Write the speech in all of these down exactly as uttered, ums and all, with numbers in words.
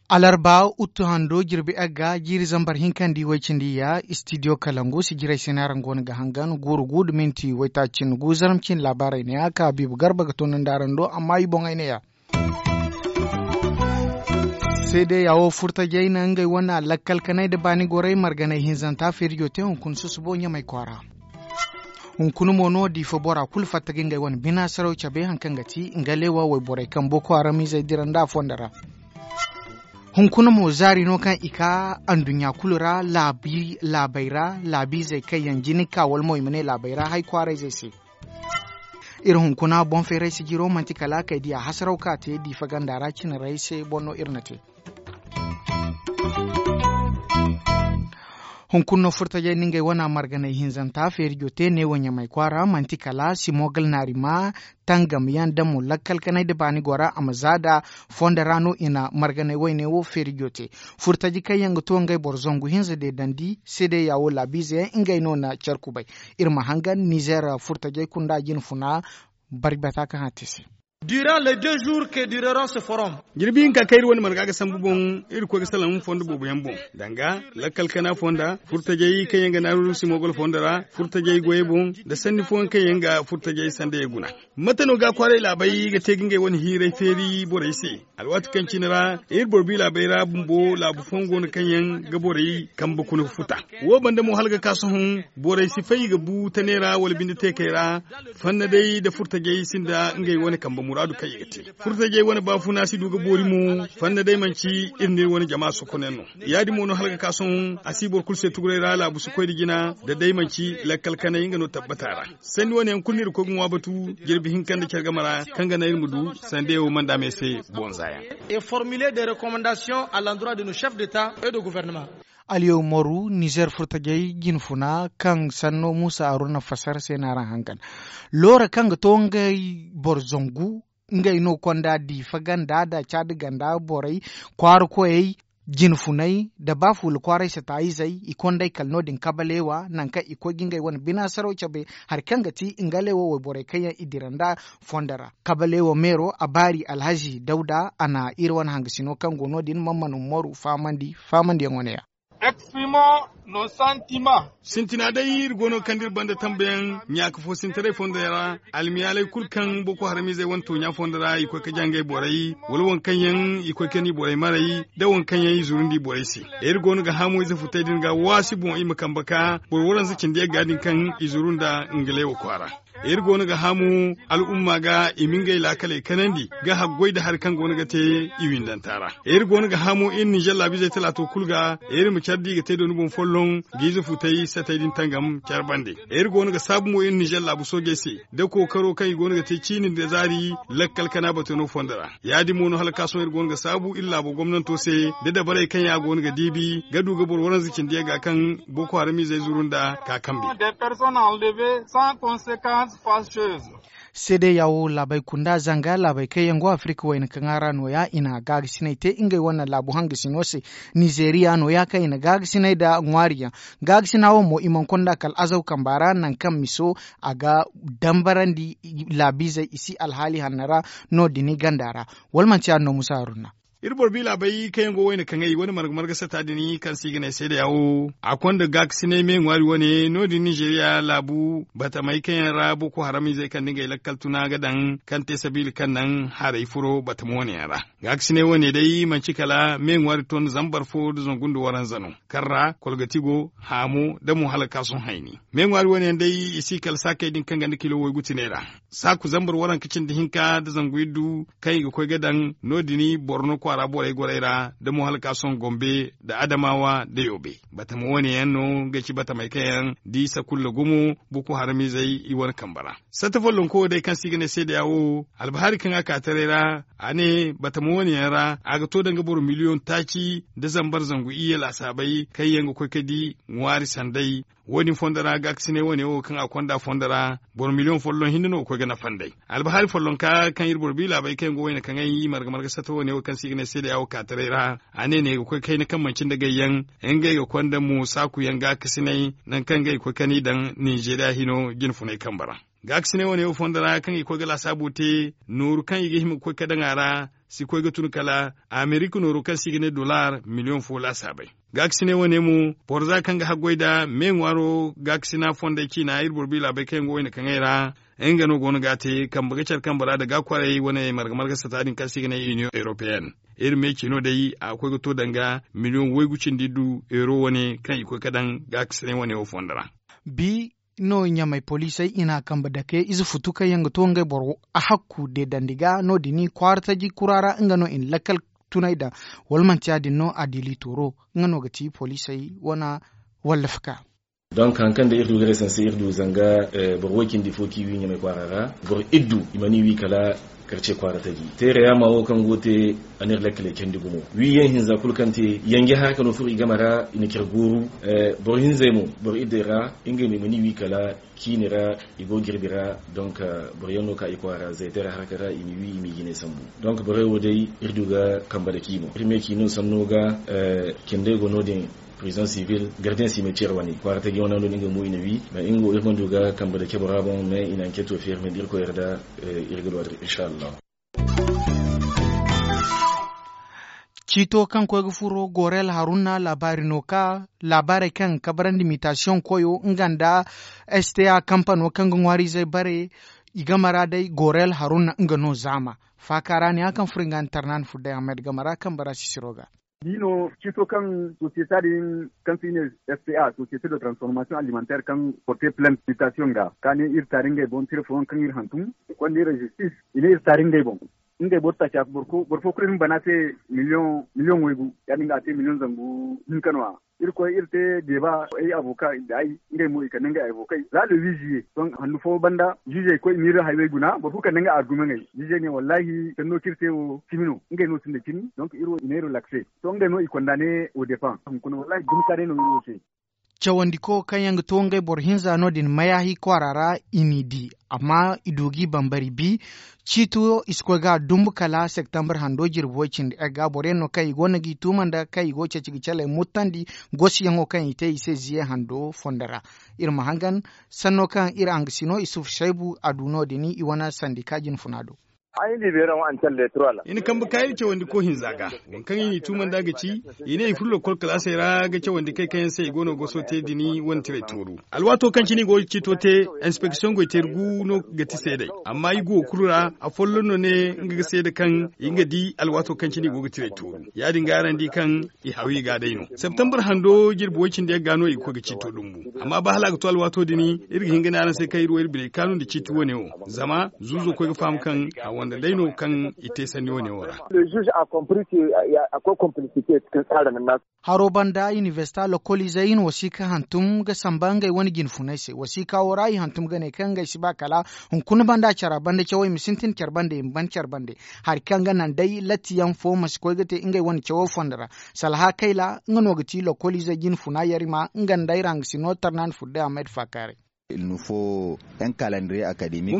Alarba uttu hando jirbi egga jiiri zambar hinkandi way-cindi ya istidiyo kalangu sijirey se no araŋ go no ga hangan guuru gu nda minti waytaaci cindi gu zarma cine laabaarey ne ya ka biibu garba ga toonandi araŋ do amma i boŋey ne ya. Seedeya wo furtajey na ngey wane lakkal kanay nda baani gorey marganey hinzanta feerijo te hunkuna susubo ɲamay kwaara. Hunkuna mo no diifa bora kulu fatta ga ngey wane bina saraw cabe hari kaŋ ga ti nga leewa wayborey kaŋ boko haram izey dira nda a fondo ra. Hunkuna mo zaari no kaŋ i ka anduɲɲa kulu ra laabey ra laabiizey kaŋ yaŋ jina ka wala mo i ma ne laabey ra hari kwaarayzey se. Iri hunkuna boŋ feeray sijiro manti kala kay diya hasaraw ka te diifa ganda ra cinarey se boŋ no iri na te. Hunkuna no furtajey na ngey wane marganey hinzanta feerijo te neewo ɲamay kwaara manti kala simogal naari ma tangam yaŋ da mo lakkal kanay nda baani gora a ma za da fondo ra no i na marganey wayne wo feerijo te. Furtaji kaŋ yaŋ ga to ngey boro zangu hinza deedandi seedeya wo laabiize yaŋ ngey no na care kubay. Iri ma hangan nizeer furtajey kunda jine funa bari bata kaŋ a te se. Durant les deux jours que durera ce forum. Jirbi hinka kaŋ iri wane marga ga sambu boŋ iri koy ga salaŋ fondo boobo yaŋ boŋ danga lakkal kana fonda furtajey kaŋ yaŋ ga naaru simogol fondo ra furtajey goyey boŋ nda sanni fooyaŋ kaŋ yaŋ ga furtajey sandayey guna. Mate no ga kwaaray laabey ga te ga ngey wane hiiray feeri borey se? Alwaati kaŋ cine ra iri boro bi laabey ra bumbo laabu fooyaŋ go no kaŋ yaŋ ga borey kambe kuna futa. Wo banda mo hala ga ka sohõ borey si fay i ga bu tane ra wala binde teekey ra. Fanna day nda furtajey sinda ngey wane kambe muraadu kaŋ i ga te. Furtajey wane baafuna si du ga boori mo. Fanna day manci iri n'iri wane jama sokonayaŋ no. Ya-din mo no hala ga ka sohõ a si boro kulu se tuguray ra laabu si koy nda jina da day manci lakkal kanay nga no tabbata ra. Sanni wane yaŋ kulu no iri ga koy ga ŋwa batu jirbi hinka nda care game ra kaŋ ga naŋ iri ma du sandeyaŋ wo manda me se bonza yaŋ. Et formuler des recommandations à l'endroit de nos chefs d'état et de gouvernement. Aliyo moru nizer furtajey jine funa kaŋ sanno muusa haruna fasar se no araŋ hangan. Loora kaŋ ga to ngey boro zangu ngey no konda diifa ganda nda caadi ganda borey kwaara koyey jine funey nda ba fuula kwaaray sataayizey i kondey kala no- din kabaleewa nangu kaŋ i koy ga ngey wane bina saraw cabe. Hari kaŋ ga ti ngaleewa wayborey kaŋ yaŋ i dira nda fondo ra kabaleewa meero a baari alhazi dawda a na iri wane hangasino kaŋ go no- din man mana moru fahamandi fahamandiyaŋo ne ya. Exprimons nos sentiments. Sintina day iri go no ga kande iri banda tambayaŋ ɲaaka fo sintaray fonday ra. Almiyaalay kulu kaŋ boko haramizey wane tooɲa fondo ra i koy ga jangay borey wala waŋ kaŋ yaŋ i koy ga ni borey maray nda waŋ kaŋ yaŋ i zurundi borey se. Iri go no ga haamu ize futay din ga waasi boŋ i ma kambe ka boro waranza cindi yagga din kaŋ i zuru nda ngaleewa kwaara. Iri go no ga haamu al'umma ga i ma ngey laakaley kanandi ga haggoy nda hari kaŋ go no ga te i windanta ra. Iri go no ga haamu iri ninzeer laabiizey talaato kulu ga iri ma care da i ga te dooni boŋ folloŋ ga ize futay satay din tangam care bande. Iri go no ga saabu mo iri ninzeer laabu soojey se nda kookaro kaŋ i go no ga te ciini nda zaari lakkal kana batano fondo ra. Ya- din mo no hala ka sohõ iri go no ga saabu iri laabo gomnanto se nda dabarey kaŋ yaŋ a go no ga diibi ga du ga boro waranza cindi yagga kaŋ boko haramizey zuru nda ka kambe. Des personnes enlevées sans conséquence fâcheuse. Seedeya wo laabey kunda zanga laabey kaŋ yaŋ go afirika wayna kaŋ a ra nooya i na gaagasinay te ngey wane laabu hangasino se. Nizeeriya nooya kaŋ i na gaagasinay nda ŋwaariyaŋ. Gaagasina wo mo i mana konda kala azaw kamba ra nangu kaŋ miso a ga dambarandi laabiizey i si alhaali hanno ra no- din i ganda ra. Wala manti yaadin no musa haruna? Iri boro bi laabey kaŋ yaŋ go wayna kaŋay wane marga marga sata din kaŋ se i ga ne seedeya wo a konda gaakasinay me ŋwaari wane no- din nizeeriya laabu batamey kaŋ yaŋ ra boko haramizey kaŋ nda ngey lakkal tuna ga daŋ kaŋ te sabiila kaŋ naŋ haray furo batama wane yaŋ ra. Gaakasinay wane day manti kala me ŋwaari ton zambar fo nda zangu nda waranza no kaŋ ra kolgati go, haamo nda mo hala ga ka sohõ hayni. Me ŋwaari wane yaŋ day i si kala saakey din kaŋ ganda kilo waygu tine ra. Saaku zambar waranka cindi hinka nda zangu iddu kaŋ i ga koy ga daŋ no- din borno kwaara borey gorey ra nda mo hala ga ka sohõ gombe nda adamawa nda yoobe. Batama wane yaŋ no ga ci batamey kaŋ yaŋ da i sakulla gumo boko haramizey i wane kambe ra. Satta follonko wo day kaŋ se i ga ne seedeya wo albahaari kaŋ a ka taray ra a ne batama wane yaŋ ra a ga to danga boro miliyoŋ taaci nda zambar zangu iyye laasaabey kaŋ yaŋ ga koy ga di ŋwaari sanday. Wo- din fondo ra gaakasinay wane wo kaŋ a konda fondo ra boro miliyoŋ folloŋ hinne no ga koy ga nafa nd'ey. Albahaari follonka kaŋ iri boro bi laabey kaŋ yaŋ go wayna kaŋay marga marga satta wane wo kaŋ se i ga ne seeda ya wo kaataray ra, a ne ne ga koy kayna kaŋ manci nda gayyaŋ, ngey ga konda mo saakuyaŋ gaakasinay nangu kaŋ ngey ga koy ga ni daŋ ninzeeriya hino jinfunay kambe ra. Gaakasinay wane wo fondo ra kaŋ i ga koy ga laasaabu te, nooru kaŋ i ga hima ga koy ga daŋ a ra si koy ga tun kala amerika nooru kaŋ se i ga ne dollar miliyoŋ fo laasaabey. Gaakasinay wane mo, boro za kaŋ ga haggoy nd'a me ŋwaaro gaakasina fondey ciina iri boro bi laabey kaŋ yaŋ go wayna kaŋay ra, nga no go no ga a te kambe ga care kambe ra nda gaakwarey wane marga marga sata din kaŋ se i ga ne iniyoŋ europeyenne. Iri me ciino day a ga koy ga to danga miliyoŋ waygu cindi du euro wane kaŋ i ga koy ga daŋ gaakasinay wane wo fondo ra. Bi no ɲamay poliisey i n'a kambe dake ize futu kaŋ yaŋ ga to ngey boro a hakku deedandi ga no- din kwaara taji kura ra nga no i na lakkal tunay daŋ. Wala manti ya- din no a diili tooro nga no ga ti poliisey wane wallafa ka. Donk hari kaŋ day iri du ga resanse iri du zanga boro way- cindi fo kaŋ i wi ɲamay kwaara ra, boro iddu i mana i wi kala karce kwaara taji teere yaama wo kaŋ go ga te. A ne iri lakkaley candi gumo wiyaŋ hinza kulu kaŋ te yanje hara ka no furo i game ra i na care gooru. Boro hinzey mo boro iddey ra ngey no i mana i wi kala ciini ra i go ga jirbi ra. Donk boro yaŋ no ka i kwaara zaytara haraka ra i m'i wi i m'i jinay sambu. Donk borey wo day iri du ga kambe dake i boŋ iri me ci no sanno ga. Cindey go no- din prison civil gardiyaŋ si may care wane kwaara taji wane no- din nga mo i na wi. Ba nga wo iri mana du ga kambe dake bora boŋ mais i na anketo feeri me da irkoy yarda. Iri ga du a din inshallahu. Ciito kaŋ koy ga furo gorel haruna laabaari no ka laabaarey kaŋ ga kabarandi mitasiyoŋ koyo nga nda sta kampano kaŋ ga ŋwaariizey bare i game ra day gorel haruna nga no zaama faaka ra ne ya kaŋ furo nga nda tarnaani furo day ahmed game ra kaŋ bara sisiro ga. Dino ciito kaŋ sosiyete din kaŋ se i ne sta sosiyete de transformation alimentaire kaŋ porte plante mitasiyoŋ ga ka ne iri taari ngey boŋ tira fooyaŋ kaŋ iri hantum i konda iri jistis i ne iri taari ngey boŋ. Ngey boro taaca boro fo kulu iri ma bana se miliyoŋ waygu ya- din ga a te miliyoŋ zangu hinka no- ya. Iri koy iri te deeba ay avoka nda ay ngey mo i kande ngey avokey za le huit juillet sohõ handu fo banda juuzey koy i ma iri haywey guna boro kulu kande ngey argumeŋey juuzey ne wallahi sanno kaŋ iri te wo cimi no ngey no sinda cimi. Donk iri wo i ne iri lakse sohõ ngey no i konda ne au dépend hunkuna wallahi dumi kaanay no iri wo se. Cawandiko kaŋ yaŋ ga to ngey boro hinza no- din mayahi kwaara ra i n'i di amma i du g'i bambari bi. Ciito i si koy ga dumbu kala septembre hando jirbi way- cindi egga boro yaŋ no kaŋ i go no g'i tuuma nda kaŋ i go ga ceeci ga caley murtandi gosiyaŋo kaŋ i te i se ziye hando fondo ra. Iri ma hangan sanno kaŋ iri hangasino isufu saybu a du no- din i wane sandika jinfuna do. I na kambe ka iri cawandiko hinza ga waŋ kaŋ i n'i tuuma nd'a ga ci i ne i furo lokkol kalaasey ra ga cawandi kay kaŋ yaŋ se i go no ga goso te din wane tiray tooru. Alwaato kaŋ cine i go ga ciito te inspeksiyoŋ goy teeri gu no ga ti seedey amma i guwo kulu ra afolloŋ no ne nga ga seeda kaŋ i nga di alwaato kaŋ cine i go ga tiray tooru. Ya- din ga araŋ di kaŋ i hawi ga day no septembre hando jirbi way- cindi yaŋ ga no i ga koy ga ciito dumbu. Amma ba hala a ga to alwaato din iri ga hin ga ne araŋ se kaŋ iri wo iri biney kaanu nda ciiti wane wo zama zuuzo koy ga faham kaŋ a wande day no kaŋ i te sanni wane wo ra. Haro banda inibersita lokoliizey i na wasiika hantum ga samba ngey wane jinfuney se wasiika wo ra i hantum ga ne kaŋ ngey si ba kala hunkuna banda care banda cawey ma sintin care banda i ma ban care banda hari kaŋ ga naŋ day latti yaŋ fo ma si koy ga te ngey wane cawo fondo ra. Salaha kayla nga no ga ti lokoliizey jinfuna yarima nga nda ay ra nga si no tarnaani furo day a may da faakaaray. Waŋ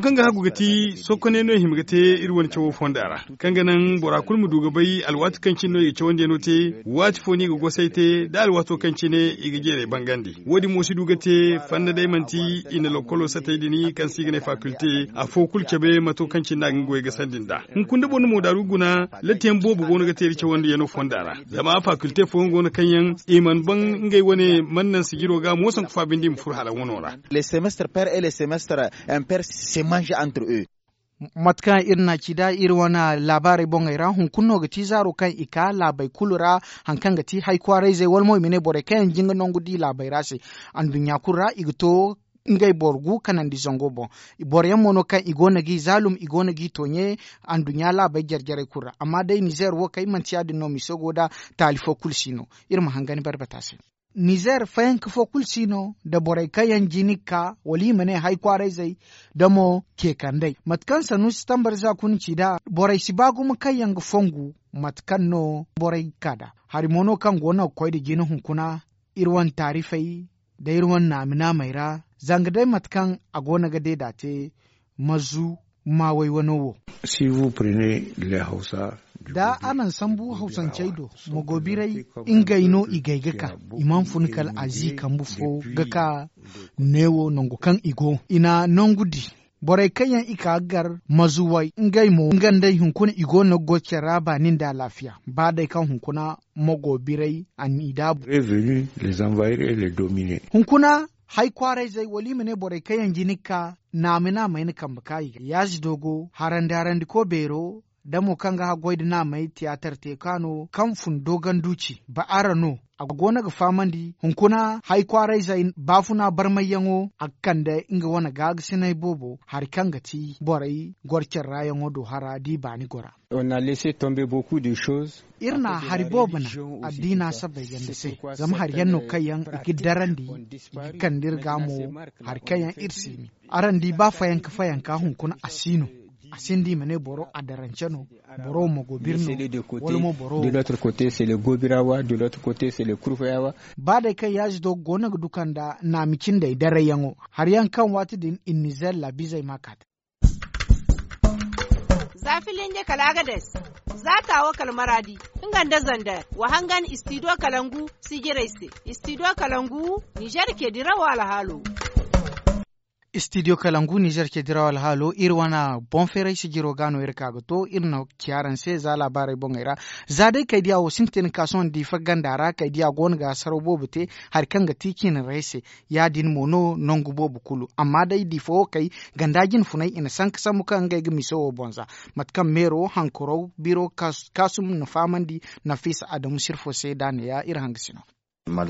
kaŋ ga hagu ga ti sokoney no i hima ga te iri wane cawo fonda ra kaŋ ga naŋ bora kulu ma du ga bay alwaati kaŋ cine no i ga cawandiyaŋo te waati fo no i ga gosay te da alwaato kaŋ cine i ga jeeray bangandi. Wo- din mo si du ga te fanda day manti i na lokkolo satay din kaŋ se i ga ne fakilte afo kulu cabe mato kaŋ cine no a ga nga goyey gasandi nd'a. Hunkuna da boro na moodaaru guna latti yaŋ boobo go no ga te iri cawandiyaŋo fonda ra zama fakilte fooyaŋ go no kaŋ yaŋ i mana ban ngey wane mana naŋ sijiro ga mo sanku fa binde i ma furo hala wano ra. Les semestres per et les semestres imper se mange entre eux. Mate kaŋ iri na ci da iri wane laabaarey boŋey ra hunkuna no ga ti zaaro kaŋ i ka laabey kulu ra hari kaŋ ga ti hay kwaarayzey wala mo i ma ne borey kaŋ yaŋ jinga nangu di laabey ra se. Anduɲɲa kulu ra i ga to ngey boro gu kanandi zango boŋ. Boro yaŋ mo no kaŋ i go no g'i zaalum i go no g'i tooɲe anduɲɲa laabey jare jarey kulu ra amma day nizeer wo kay manti ya- din no miso go nda taali fo kulu si no. Iri ma hangan barbata se. Nizeer fayanka fo kulu si no nda borey kaŋ yaŋ jina ga ka wala i ma ne hay kwaarayzey nda mo keekandey mate kaŋ sanuusi tambar za kuna ci nd'a borey si ba gumo kaŋ yaŋ ga fongu mate kaŋ no borey ga ka nd'a. Hari mo no kaŋ go no ga koy nda jina hunkuna iri wane taarifey da iri wane naami-naamey ra, zanga day mate kaŋ a go no ga deeda te mazu maawey wano wo. Da araŋ sambu hawsancey do, mogoobiray, ngey no i gay ga ka. I mana fun kala azi kambu fo ga ka neewo nangu kaŋ i go i na nangu di. Borey kaŋ yaŋ i ka ga gar mazuwey ngey mo nga nd'ey hunkuna i go no ga goy care ra baani nda alaafiya. Ba day kaŋ hunkuna mogoobiray a n'i daabu. Hunkuna, hay kwaarayzey wala i ma ne borey kaŋ yaŋ jina ga ka naami-naamey na kambe ka i ga yaazi doogo harandi-harandiko beero, da mo kaŋ ga haggoy nda naamey tiyaatar te ka no kaŋ fun dooganduuci ba araŋ no. A go no ga fahamandi hunkuna hay kwaarayzey baafuna barmayyaŋo a ga kande nga wane gaagasinay boobo hari kaŋ ga ti borey goro care ra yaŋo do hara da i baani gora. Iri na hari boobo naŋ addiina sabbay ganda se, zama hari yaŋ no kaŋ yaŋ i ga darandi i ga kande iri ga mo. Hari kaŋ yaŋ iri si ni araŋ di ba fayanka fayanka hunkuna a si no. A sinda i ma ne boro adarance no, boro mo go birno, wala mo boro. Ba day kaŋ yaazi do go no ga du kanda naami cindey darayyaŋo hari yaŋ kaŋ waati din i nizer laabizey ma ka te. Za filinje kala agades, za taawo kala maraadi, nga nda zander wa hangan istidiyo kalangu sijirey se. Istidiyo kalangu nizer ke dirawo alhaalo. Istidiyo kalangu nizer ke dirawo alhaalo iri wane boŋ feeray sijiro ga no iri ka ga to iri na ci araŋ se za laabaarey boŋey ra. Za day kaydiya wo sintin ka sohõ diifa ganda ra kaydiya go no ga saraw boobo te hari kaŋ ga ti ciine ra ay se. Ya- din mo no nangu boobo kulu amma day diifa wo kay ganda jinfunay i na sanka sambu kaŋ ngey ga miso wo boŋ za. Mate kaŋ meero hankuraw biro kaasum na fahamandi nafiisa adamu sirfo se da neeya iri hangasino. Ba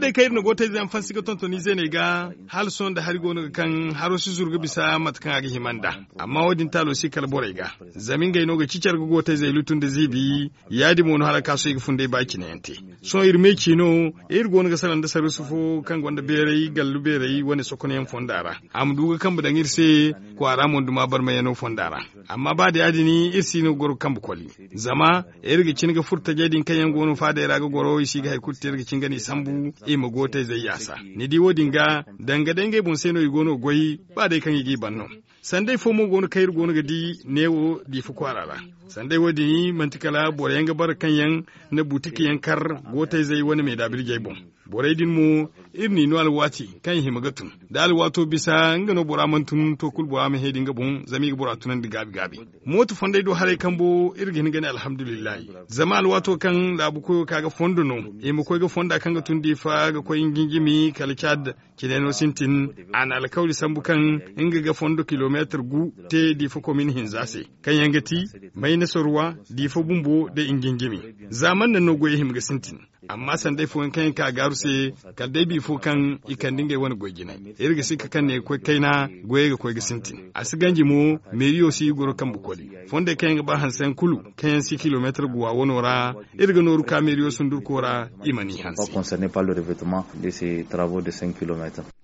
day kaŋ iri na gootayze yaŋ fansi ga tonton izeeney ga hala sohõ nda hari go no ga kaŋ haro si zuru ga bisa mate kaŋ a ga hima nd'a. Amma wo- din taalo si kala borey ga zama ngey no ga cicar ga gootayzey lutu nda ziibi. Ya- din mo no hala kaasoy ga funday ba cine yaŋ te. Sohõ iri me ci no iri go no ga salaŋ nda sarrusu fo kaŋ gonda beeray gallu beeray wane sokonyaŋ fonda ra a ma du ga kambe daŋ iri se. Kwaara mo duma barmayano fonda ra. Amma ba da ya- din iri si no ga goro ga kambe koli. Zama iri ga cin ga furo tajey din kaŋ yaŋ go no faadey ra ga goro i si ga hari kulu te iri ga cin ga no i sambu i ma gootayzey yaasa. Ni di wo- din ga danga day ngey boŋ se no i go no ga goy. Ba day kaŋ i g'i ban no. Sanday fo mo go no kaŋ iri go no ga di neewo diifa kwaara ra. Sanday wo- din manti kala boro yaŋ ga bara kaŋ yaŋ na buutik yaŋ kar gootayzey wane meedaabirijey boŋ. Borey din mo iri n'i no alwaati kaŋ i hima ga tun da alwaato bisa nga no bora mana tun to kulu bora ma heedi nga boŋ zama i ga bora tunandi gaabi gaabi. Mooto fondey do haray kambo iri ga hin ga ne alhamdulillahi. Zama alwaato kaŋ laabu koyo ka ga fondo no i ma koy ga fonda kaŋ ga tun diifa ga koy njinjimi kala caad. Cine no sintin a na alkawli sambu kaŋ nga ga fondo kilomeetar gu te diifa komin hinza se kaŋ yaŋ ga ti mayna sorwa diifa bumbo da njinjimi. Za man naŋ no goyey hima ga sintin. Amma sanday fooyaŋ kaŋ yaŋ ka gaaru se kala day bifo kaŋ i kande ngey wane goy jinay. Iri ga sikka kaŋ ne ga koy kayna goyey ga koy ga sintin a si ganji mo. Meeriyo si i goro kambe koli fondey kaŋ yaŋ ga ba hanse yaŋ kulu kaŋ yaŋ si kilomeetar guwa wano ra. Iri ga nooru ka meeriyo sundurko ra i mana i hanse.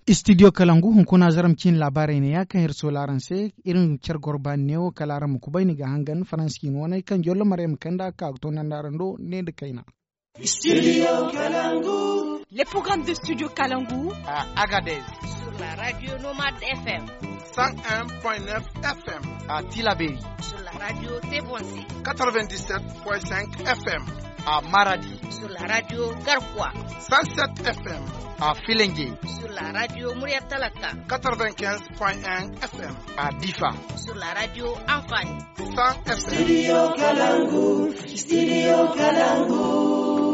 Istidiyo kalangu hunkuna zaram ciine laabaarey neeya kaŋ iri sola araŋ se. Iri ma care goro baani neewo kala araŋ ma kubay ni ga hangan faransi ciine waney kaŋ jollo marey ma kayna da a ga ka ga toonandi araŋ do ne nda kayna. Studio Kalangu. Le programme de Studio Kalangu à Agadez sur la radio Nomad F M, cent un point neuf F M à Tilaberi sur la radio Tebonsi quatre-vingt-dix-sept point cinq F M à Maradi sur la radio Garkwa cent sept F M à Filengue sur la radio Murya Talaka quatre-vingt-quinze point un F M à Difa sur la radio Anfani cent F M. Studio Kalangu, Studio Kalangu.